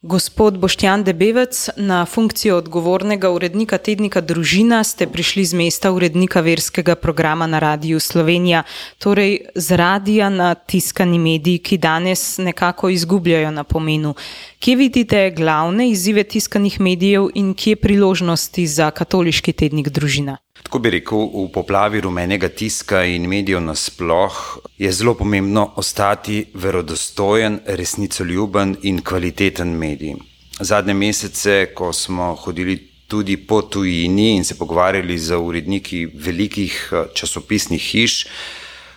Gospod Boštjan Debevec, na funkcijo odgovornega urednika tednika Družina ste prišli z mesta urednika verskega programa na Radiu Slovenija, torej z radija na tiskani mediji, ki danes nekako izgubljajo na pomenu. Kje vidite glavne izzive tiskanih medijev in kje priložnosti za katoliški tednik Družina? Tako bi rekel, v poplavi rumenega tiska in medijev nasploh je zelo pomembno ostati verodostojen, resnicoljuben in kvaliteten medij. Zadnje mesece, ko smo hodili tudi po tujini in se pogovarjali z uredniki velikih časopisnih hiš,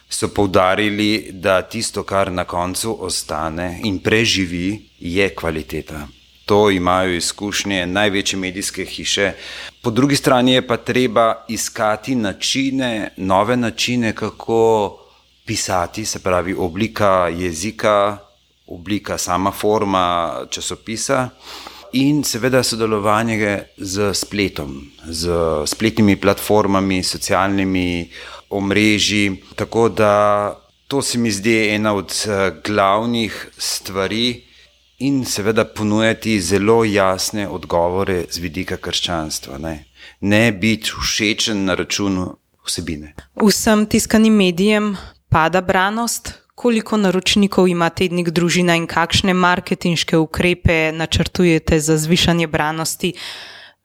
so poudarili, da tisto, kar na koncu ostane in preživi, je kvaliteta. To imajo izkušnje največje medijske hiše. Po drugi strani je pa treba iskati načine, nove načine, kako pisati, se pravi oblika jezika, oblika sama forma časopisa in seveda sodelovanje z spletom, z spletnimi platformami, socialnimi omrežji. Tako da to se mi zdi ena od glavnih stvari, in seveda ponujati zelo jasne odgovore z vidika krščanstva. Ne biti všečen na račun vsebine. Vsem tiskanim medijem pada branost. Koliko naročnikov ima tednik Družina in kakšne marketinške ukrepe načrtujete za zvišanje branosti,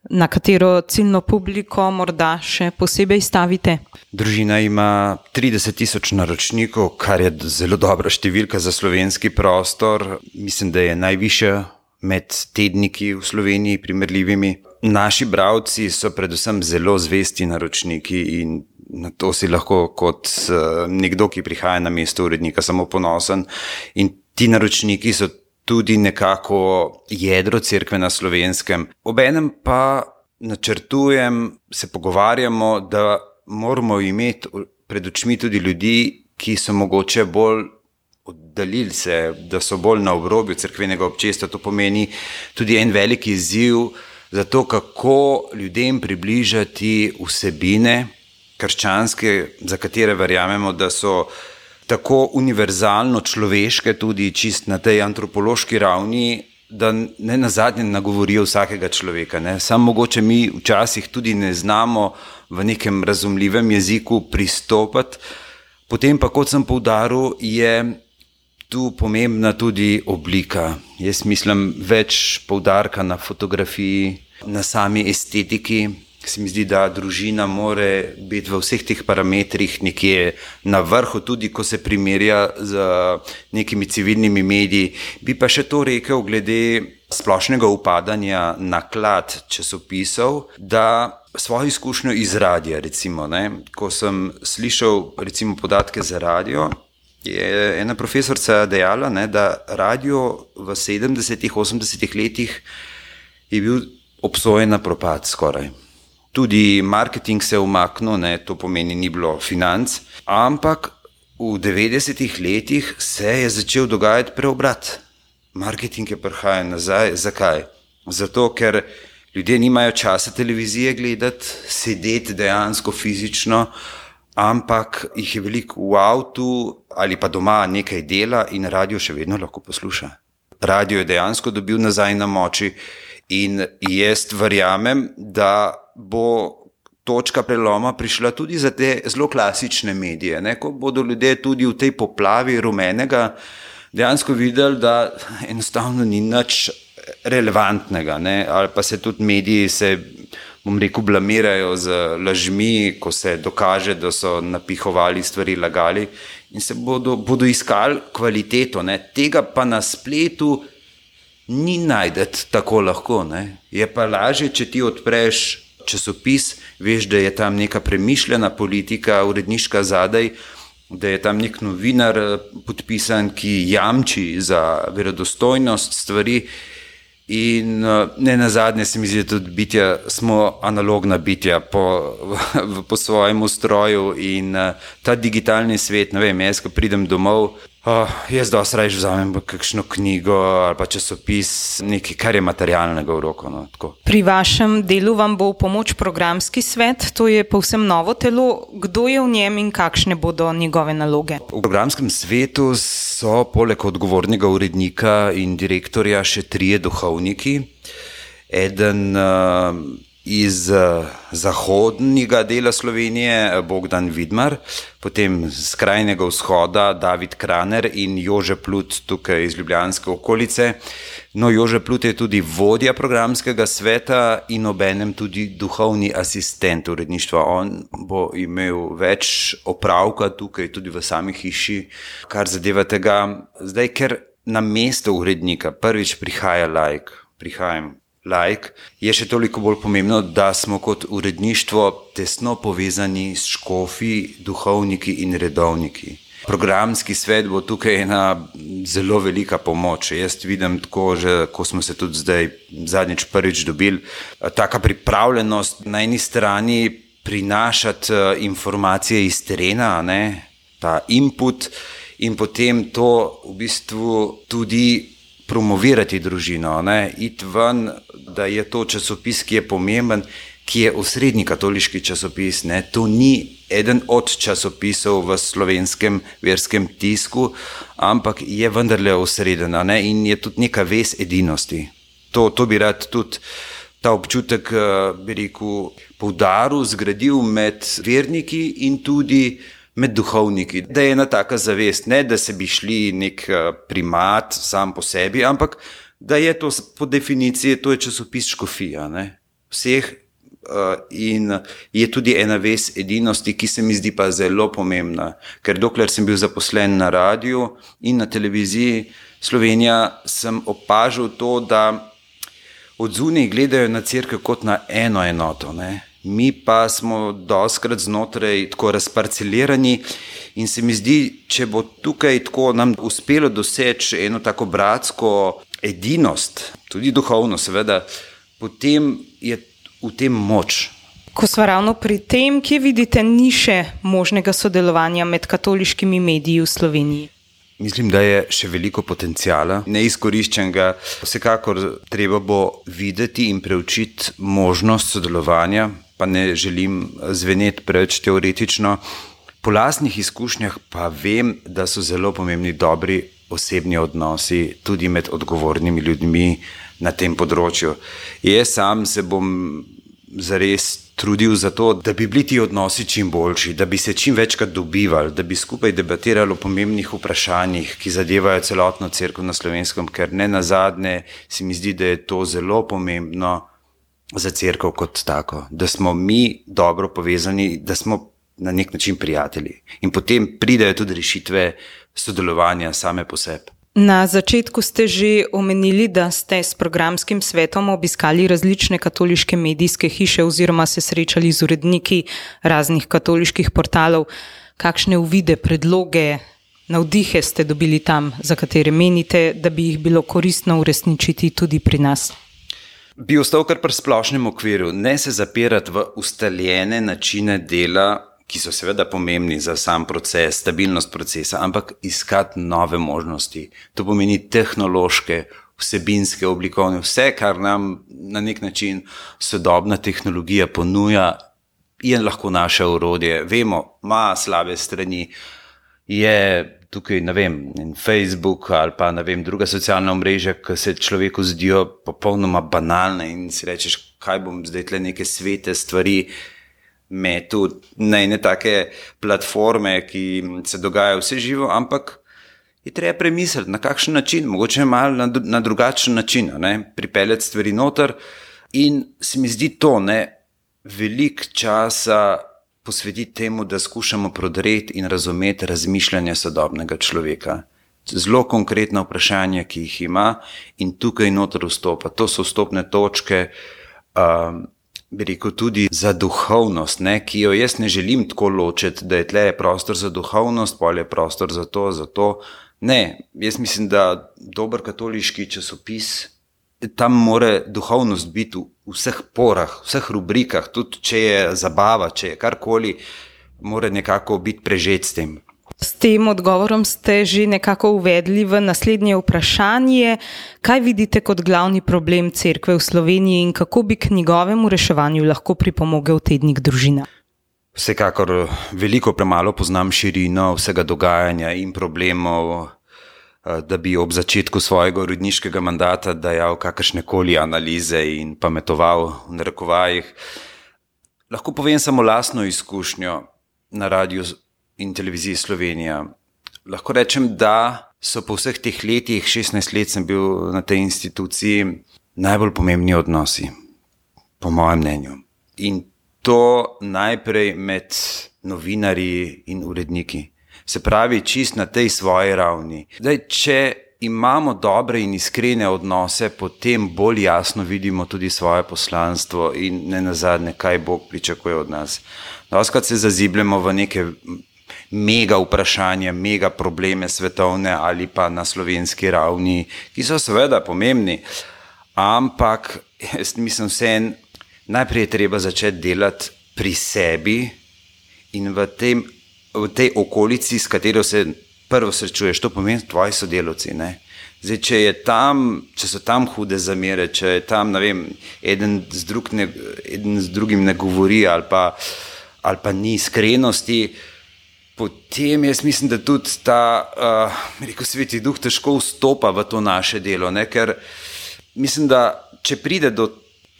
na katero ciljno publiko morda še posebej stavite? Družina ima 30,000 naročnikov, kar je zelo dobra številka za slovenski prostor. Mislim, da je najvišja med tedniki v Sloveniji primerljivimi. Naši bralci so predvsem zelo zvesti naročniki in na to si lahko kot nekdo, ki prihaja na mesto urednika, samo ponosen. In ti naročniki so tudi nekako jedro cerkve na Slovenskem. Obenem pa načrtujem, se pogovarjamo, da moramo imeti pred očmi tudi ljudi, ki so mogoče bolj oddaljili se, da so bolj na obrobju cerkvenega občestva. To pomeni tudi en velik izziv za to, kako ljudem približati vsebine krščanske, za katere verjamemo, da so tako univerzalno človeške, tudi čist na tej antropološki ravni, da ne nazadnje nagovorijo vsakega človeka. Samo mogoče mi včasih tudi ne znamo v nekem razumljivem jeziku pristopati. Potem pa, kot sem poudaril, je tu pomembna tudi oblika. Jaz mislim več poudarka na fotografiji, na sami estetiki. Se mi zdi, da Družina more biti v vseh teh parametrih nekje na vrhu, tudi ko se primerja z nekimi civilnimi mediji. Bi pa še to rekel glede splošnega upadanja naklad časopisov, da svojo izkušnjo iz radija, recimo, ko sem slišal recimo podatke za radio, je ena profesorica dejala, da radio v 70-ih, 80-ih letih je bil obsojen na propad skoraj. Tudi marketing se je umaknil, to pomeni ni bilo financ, ampak v 90-ih letih se je začel dogajati preobrat. Marketing je prihajal nazaj. Zakaj? Zato, ker ljudje nimajo časa televizije gledati, sedeti dejansko fizično, ampak jih je veliko v avtu ali pa doma nekaj dela in radio še vedno lahko posluša. Radio je dejansko dobil nazaj na moči in jaz verjamem, da bo točka preloma prišla tudi za te zelo klasične medije, ko bodo ljudje tudi v tej poplavi rumenega dejansko videli, da enostavno ni nič relevantnega, ali pa se tudi mediji blamirajo z lažmi, ko se dokaže, da so napihovali stvari, lagali in se bodo iskali kvaliteto. Tega pa na spletu ni najdeti tako lahko. Je pa lažje, če ti odpreš časopis, veš, da je tam neka premišljena politika, uredniška zadaj, da je tam nek novinar podpisan, ki jamči za verodostojnost stvari in ne nazadnje se mi zdi, da tudi smo analogna bitja po svojem ustroju in ta digitalni svet, jaz ko pridem domov, Jaz dosti raje vzamem kakšno knjigo ali pa časopis, nekaj, kar je materialnega v roko. No, pri vašem delu vam bo v pomoč programski svet, to je povsem novo telo. Kdo je v njem in kakšne bodo njegove naloge? V programskem svetu so poleg odgovornega urednika in direktorja še 3 duhovniki. Eden iz zahodnega dela Slovenije, Bogdan Vidmar, potem z krajnega vzhoda David Kraner in Jože Plut tukaj iz ljubljanske okolice. No, Jože Plut je tudi vodja programskega sveta in obenem tudi duhovni asistent uredništva. On bo imel več opravka tukaj, tudi v sami hiši, kar zadeva tega. Zdaj, ker na mesto urednika prvič prihaja prihajam laik, je še toliko bolj pomembno, da smo kot uredništvo tesno povezani s škofi, duhovniki in redovniki. Programski svet bo tukaj ena zelo velika pomoč. Jaz vidim tako, že ko smo se tudi zdaj zadnjič prvič dobili, taka pripravljenost na eni strani prinašati informacije iz terena, ne, ta input, in potem to v bistvu tudi promovirati družino, ne, iti ven, da je to časopis, ki je pomemben, ki je osrednji katoliški časopis, ne. To ni eden od časopisov v slovenskem verskem tisku, ampak je vendarle osreden, ne, in je tudi neka vez edinosti. To bi rad tudi ta občutek, bi rekel, poudaril, zgradil med verniki in tudi med duhovniki, da je ena taka zavest, ne da se bi šli nek primat sam po sebi, ampak da je to po definiciji, to je časopis škofija, ne, vseh, in je tudi ena vez edinosti, ki se mi zdi pa zelo pomembna, ker dokler sem bil zaposlen na radiju in na televiziji Slovenija, sem opažal to, da od zunaj gledajo na cerkev kot na eno enoto, ne. Mi pa smo dostikrat znotraj tako razparcelirani in se mi zdi, če bo tukaj tako nam uspelo doseči eno tako bratsko edinost, tudi duhovno seveda, potem je v tem moč. Ko sva ravno pri tem, kje vidite niše možnega sodelovanja med katoliškimi mediji v Sloveniji? Mislim, da je še veliko potencijala, neizkoriščenega. Vsekakor treba bo videti in preučiti možnost sodelovanja, pa ne želim zveneti preveč teoretično. Po lastnih izkušnjah pa vem, da so zelo pomembni dobri osebni odnosi tudi med odgovornimi ljudmi na tem področju. Jaz sam se bom zares trudil za to, da bi bili ti odnosi čim boljši, da bi se čim večkrat dobivali, da bi skupaj debatirali o pomembnih vprašanjih, ki zadevajo celotno cerkev na Slovenskem, ker ne nazadnje se mi zdi, da je to zelo pomembno za cerkev kot tako, da smo mi dobro povezani, da smo na nek način prijatelji. In potem pridejo tudi rešitve sodelovanja same po sebi. Na začetku ste že omenili, da ste s programskim svetom obiskali različne katoliške medijske hiše oziroma se srečali z uredniki raznih katoliških portalov. Kakšne uvide, predloge, navdihe ste dobili tam, za katere menite, da bi jih bilo koristno uresničiti tudi pri nas? Bi ostal kar pri splošnem okviru, ne se zapirati v ustaljene načine dela, ki so seveda pomembni za sam proces, stabilnost procesa, ampak iskati nove možnosti. To pomeni tehnološke, vsebinske, oblikovne, vse, kar nam na nek način sodobna tehnologija ponuja, je lahko naše orodje. Vemo, ima slabe strani, je tukaj, ne vem, Facebook ali pa, ne vem, druga socialna omrežja, ki se človeku zdijo popolnoma banalne in si rečeš, kaj bom zdaj tle neke svete stvari metu na ene take platforme, ki se dogajajo vse živo, ampak je treba premisliti, na kakšen način, mogoče malo na drugačen način, ne, pripeljati stvari noter. In se mi zdi to, ne, veliko časa posvetiti temu, da skušamo prodreti in razumeti razmišljanje sodobnega človeka. Zelo konkretna vprašanja, ki jih ima, in tukaj noter vstopa. To so vstopne točke, bi rekel tudi za duhovnost, ne, ki jo jaz ne želim tako ločiti, da je tle prostor za duhovnost, pol je prostor za to. Ne, jaz mislim, da dober katoliški časopis, tam mora duhovnost biti v vseh porah, vseh rubrikah, tudi če je zabava, če je karkoli, mora nekako biti prežet s tem. S tem odgovorom ste že nekako uvedli v naslednje vprašanje. Kaj vidite kot glavni problem cerkve v Sloveniji in kako bi k njegovemu reševanju lahko pripomogel tednik Družina? Vsekakor veliko premalo poznam širino vsega dogajanja in problemov, da bi ob začetku svojega uredniškega mandata dajal kakršnekoli analize in pametoval v narekovajih. Lahko povem samo lastno izkušnjo na Radiu in Televiziji Slovenija. Lahko rečem, da so po vseh teh letih, 16 let sem bil na tej instituciji, najbolj pomembni odnosi, po mojem mnenju. In to najprej med novinarji in uredniki. Se pravi, čist na tej svoji ravni. Zdaj, če imamo dobre in iskrene odnose, potem bolj jasno vidimo tudi svoje poslanstvo in ne nazadnje, kaj Bog pričakuje od nas. Doskrat se zazibljamo v neke mega vprašanja, mega probleme svetovne ali pa na slovenski ravni, ki so seveda pomembni, ampak jaz mislim najprej je treba začeti delati pri sebi in v tej okolici, s katero se prvo srečuješ, to pomeni tvoji sodelavci. Ne? Zdaj, če so tam hude zamere, če je tam, ne vem, eden z drugim ne govori ali pa ni iskrenosti, potem jaz mislim, da tudi ta Sveti Duh težko vstopa v to naše delo, ne? Ker mislim, da če pride do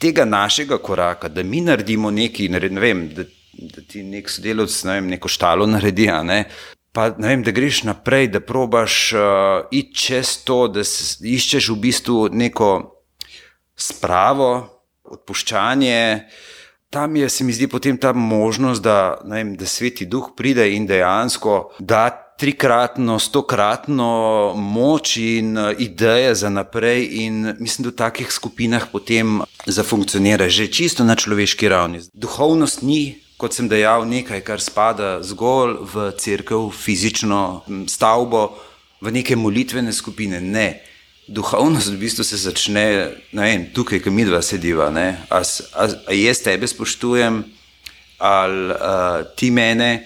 tega našega koraka, da mi naredimo nekaj, ne vem, da ti nek sodelavc, ne vem, neko štalo naredi, pa ne vem, da greš naprej, da probaš iti čez to, da iščeš v bistvu neko spravo, odpuščanje. Tam je, se mi zdi, potem ta možnost, da Sveti Duh pride in dejansko da 3-kratno, 100-kratno moč in ideje za naprej in mislim, da v takih skupinah potem zafunkcionira že čisto na človeški ravni. Duhovnost ni, kot sem dejal, nekaj, kar spada zgolj v cerkev, fizično stavbo, v neke molitvene skupine. Ne. Duhovnost v bistvu se začne, ne vem, tukaj, ko midva sediva. A jaz tebe spoštujem, ali ti mene.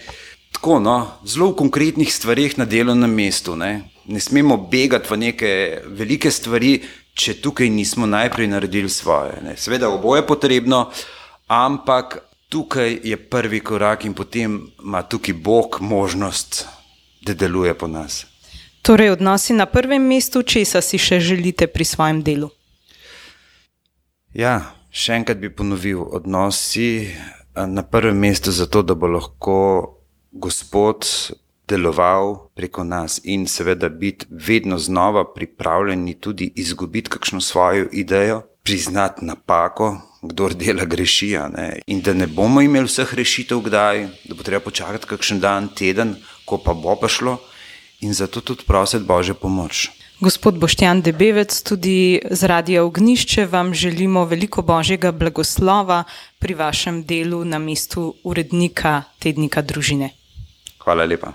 Tako, zelo v konkretnih stvarih na delovnem mestu. Ne smemo begati v neke velike stvari, če tukaj nismo najprej naredili svoje. Seveda oboje je potrebno, ampak tukaj je prvi korak in potem ima tukaj Bog možnost, da deluje po nas. Torej, odnosi na prvem mestu, česa si še želite pri svojem delu? Ja, še enkrat bi ponovil, odnosi na prvem mestu zato, da bo lahko Gospod deloval preko nas in seveda biti vedno znova pripravljeni tudi izgubiti kakšno svojo idejo, priznati napako, kdor dela greši, in da ne bomo imeli vseh rešitev kdaj, da bo treba počakati kakšen dan, teden, ko pa bo pa šlo in zato tudi prositi Božjo pomoč. Gospod Boštjan Debevec, tudi z Radia Ognjišče vam želimo veliko Božjega blagoslova pri vašem delu na mestu urednika tednika Družine. Hvala lepa.